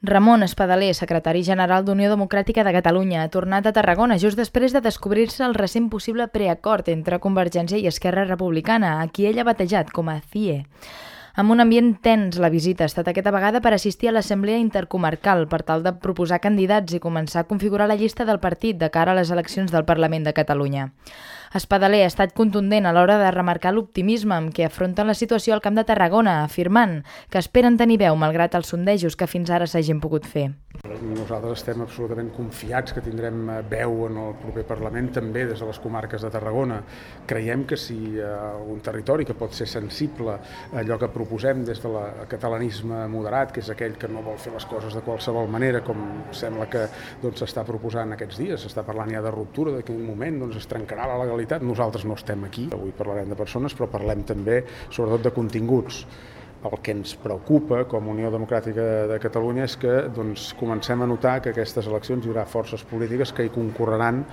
Ramon Espadaler, secretari general d'Unió Democràtica de Catalunya, ha tornat a Tarragona just després de descobrir-se el recent possible preacord entre Convergència i Esquerra Republicana, a qui ell ha batejat com a CIE. Amb un ambient tens, la visita ha estat aquesta vegada per assistir a l'Assemblea Intercomarcal per tal de proposar candidats i començar a configurar la llista del partit de cara a les eleccions del Parlament de Catalunya. Espadaler ha estat contundent a l'hora de remarcar l'optimisme amb què afronten la situació al Camp de Tarragona, afirmant que esperen tenir veu malgrat els sondejos que fins ara s'hagin pogut fer. Nosaltres estem absolutament confiats que tindrem veu en el proper Parlament, també des de les comarques de Tarragona. Creiem que si un territori que pot ser sensible a allò que proposem des del catalanisme moderat, que és aquell que no vol fer les coses de qualsevol manera, com sembla que s'està proposant aquests dies, s'està parlant ja de ruptura, d'aquell moment es trencarà la legalitat. Nosaltres no estem aquí, avui parlarem de persones, però parlem també sobretot de continguts. El que ens preocupa com a Unió Democràtica de Catalunya és que comencem a notar que aquestes eleccions hi haurà forces polítiques que hi concorreran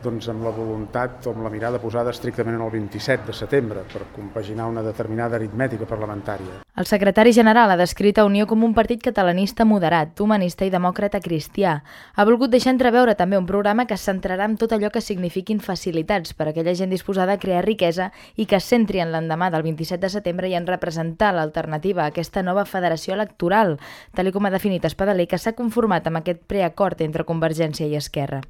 amb la voluntat o amb la mirada posada estrictament en el 27 de setembre per compaginar una determinada aritmètica parlamentària. El secretari general ha descrit a Unió com un partit catalanista moderat, humanista i demòcrata cristià. Ha volgut deixar entreveure també un programa que es centrarà en tot allò que signifiquin facilitats per a aquella gent disposada a crear riquesa i que es centri en l'endemà del 27 de setembre i en representar l'alternativa a aquesta nova federació electoral, tal com ha definit Espadaler, que s'ha conformat amb aquest preacord entre Convergència i Esquerra.